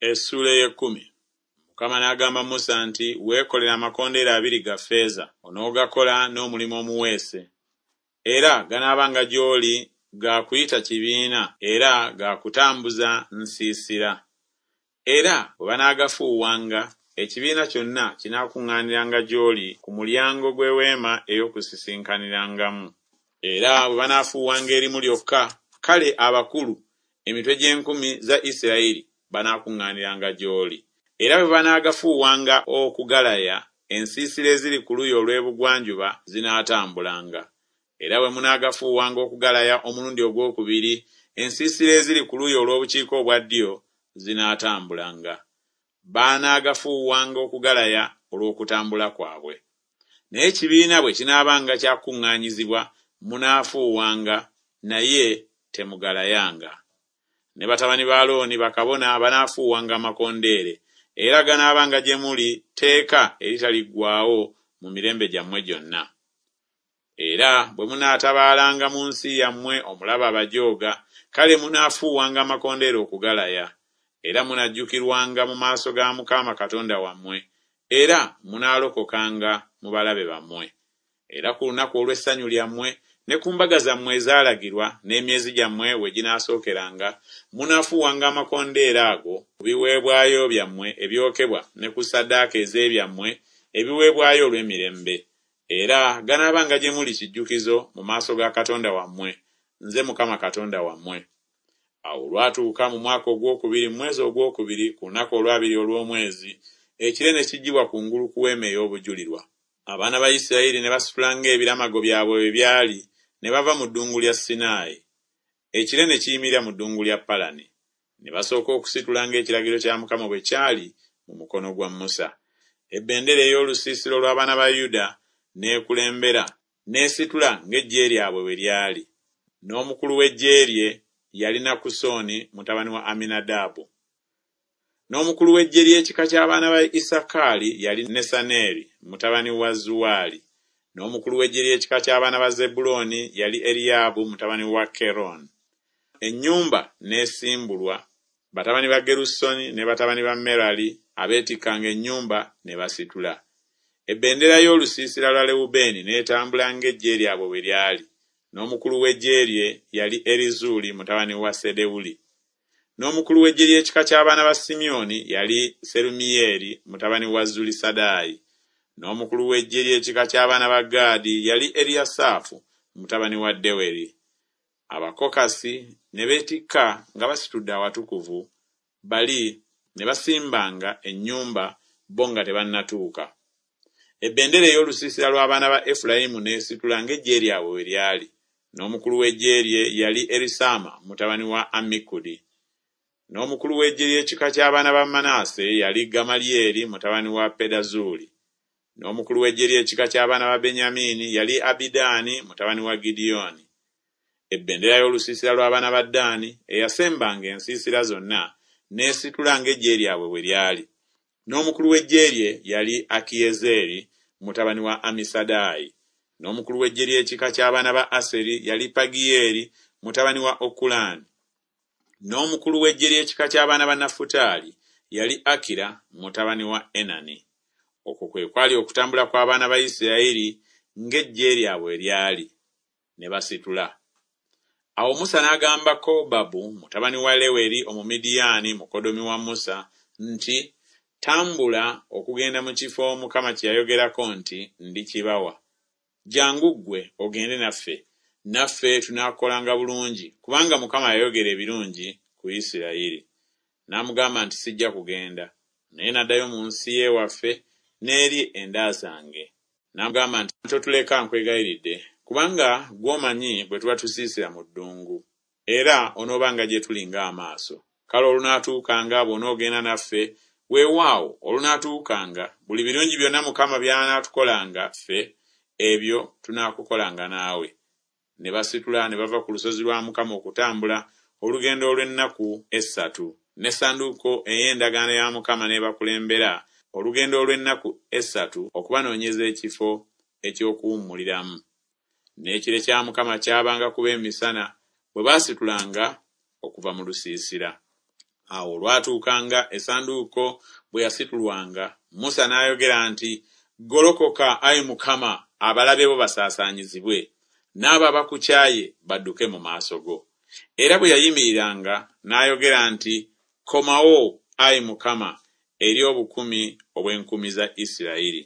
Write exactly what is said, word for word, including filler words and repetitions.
Essuula ey'ekkumi. Mukama n'agamba Musa nti, Weekolere amakondeere abiri ga ffeeza, onoogakola n'omulimu omuweese. Era ganaabanga gy'oli ga kuyita kibiina era ga kutambuza nsiisira. Era bwe banaagafuuwanga, ekibiina kyonna kinaakuŋŋaaniranga gy'oli ku mulyango gw'eweema ey'okusisinkanirangamu. Era bwe banaafuuwanga erimu lyokka, kale abakulu, emitwe gy'enkumi za Isirayiri banaakuŋŋaaniranga gy'oli. Era bwe banaagafuuwanga okugalaya, ensiisira eziri ku luuyi olw'ebugwanjuba zinaatambulanga. Era bwe munaagafuuwanga okugalaya omulundi ogwokubiri, ensiisira eziri ku luuyi olw'obukiika obwa ddyo zinaatambulanga. Banaagafuuwanga okugalaya olw'okutambula kwabwe. Naye ekibiina bwe kinaabanga kyakuŋŋaanyizibwa, munaafuuwanga, naye temugalayanga. Ne batabani ba Alooni bakabona banaafuuwanga amakondeere, era ganaabanga gye muli tteeka eritaliggwaawo mu mirembe gyammwe gyonna. Era bwe munaatabaalanga mu nsi yammwe omulabe abajooga, kale munaafuuwanga amakondeere okugalaya. Era munajjukirwanga mu maaso ga Mukama Katonda wammwe, era munaalokokanga mu balabe bammwe. Era ku lunaku olw'essanyu lyammwe, ne ku mbaga zammwe ezaalagirwa, n'emyezi gyammwe we ginaasookeranga, munaafuuwanga amakondeere ago ku biweebwayo byammwe ebyokebwa ne ku ssaddaaka ez'ebyammwe ebiweebwayo olw'emirembe. Era ganaabanga gye muli kijjukizo mu maaso ga Katonda wammwe, nze Mukama Katonda wammwe. Awo olwatuuka mu mwaka ogwokubiri mu mwezi ogwokubiri ku lunaku olwabiri olw'omwezi, ekire ne kiggyibwa kungulu ku weema ey'obujulirwa. Abaana ba Isirayiri ne basitula ng'ebiramago byabwe bwe byali, ne bava mu ddungu lya Sinaayi. Ekire ne kiyimirira mu ddungu lya Palani. Ne basooka okusitula ng'ekiragiro kya Mukama bwe kyali mu mukono gwa Musa. Ebendera ey'olusiisira olw'abaana ba Yuda n'ekulembera, n'esitula ng'eggye lyabwe bwe lyali. N'omukulu w'eggye lye yali Nakusoni mutabani wa Aminadaabu. N'omukulu w'eggye ly'ekika ky'abaana ba Isakaali yali Nesaneeri mutabani wa Zuwaali. N'omukulu w'eggye ly'ekika ky'abaana ba Zebbulooni yali Eriyaabu mutabani wa Keroni. Ennyumba n'esimbulwa, batabani ba Gerusoni ne batabani ba Merali abeetikkanga ennyumba ne basitula. Ebendera y'olusiisira lwa Lewubeeni n'etambula ng'eggye lyabwe bwe lyali. N'omukulu w'eggye lye yali Erizuuli mutabani wa Sedewuli. N'omukulu w'eggye ly'ekika ky'abaana ba Simyoni yali Serumiyeeri mutabani wa Zulisadaayi. N'omukulu w'eggye ly'ekika ky'abaana ba Gaadi yali Eriyasaafu mutabani wa Deweri. Abakokasi ne beetikka nga basitudde awatukuvu, bali ne basimbanga ennyumba bo nga tebannatuuka. Ebendera ey'olusiisira lw'abaana ba Efulayimu n'esitula ng'eggye lyabwe bwe lyali. N'omukulu w'eggye lye yali Erisaama mutabani wa Ammikudi. N'omukulu w'eggye ly'ekika ky'abaana ba Manase yali Gamalyeri mutabani wa Pedazuuli. N'omukulu w'eggye ly'ekika ky'abaana ba Benyamini yali Abidaani mutabani wa Gidyoni. Ebendera y'olusiisira lw'abaana ba Ddaani eyasembanga ensiisira zonna n'esitula ng'eggye lyabwe bwe lyali. N'omukulu w'eggye lye yali Akiyezeeri mutabani wa Amisadaayi. N'omukulu w'eggye ly'ekika ky'abaana ba Aseri yali Pagiyeeri mutabani wa Okulaani. N'omukulu w'eggye ly'ekika ky'abaana ba Nafutaali yali Akira mutabani wa Enani. Okwo kwe kwali okutambula kw'abaana ba Isirayiri ng'eggye lyabwe lyali, ne basitula. Awo Musa n'agamba Kobabu mutabani wa Leweri Omumidiyaani mukoddomi wa Musa nti, Tambula okugenda mu kifo Mukama kye yayogerako nti ndikibawa. Jjangu ggwe ogende naffe, naffe tunaakukolanga bulungi, kubanga Mukama yayogera ebirungi ku Isirayiri. N'amugamba nti sijja kugenda, naye n'addayo mu nsi y'ewaffe n'eri enda zange. N'amugamba nti totuleka nkwegayiridde, kubanga gw'omanyi bwe tuba tusiisira mu ddungu, era onoobanga gye tuli ng'amaaso. Kale olunaatuukanga bw'onoogenda naffe, weewaawo olunaatuukanga buli birungi byonna Mukama by'anaatukolanga ffe, ebyo tunaakukolanga naawe. Ne basitula ne bava ku lusozi lwa Mukama okutambula olugendo olw'ennaku essatu, n'essanduuko ey'endagaano ya Mukama n'ebakulembera olugendo olw'ennaku essatu okubanoonyeza ekifo eky'okuwummuliramu. N'ekire kya Mukama kyabanga kuba emisana bwe baasitulanga okuva mu lusiisira. Awo olwatuukanga essanduuko bwe yasitulwanga, Musa n'ayogera nti Golokoka, ayi Mukama, abalabe bo basaasaanyizibwe, n'abo abakukyaye badduke mu maaso go. Era bwe yayimiriranga n'ayogera nti Komawo, ayi Mukama, eri obukumi obw'enkumi za Isirayiri.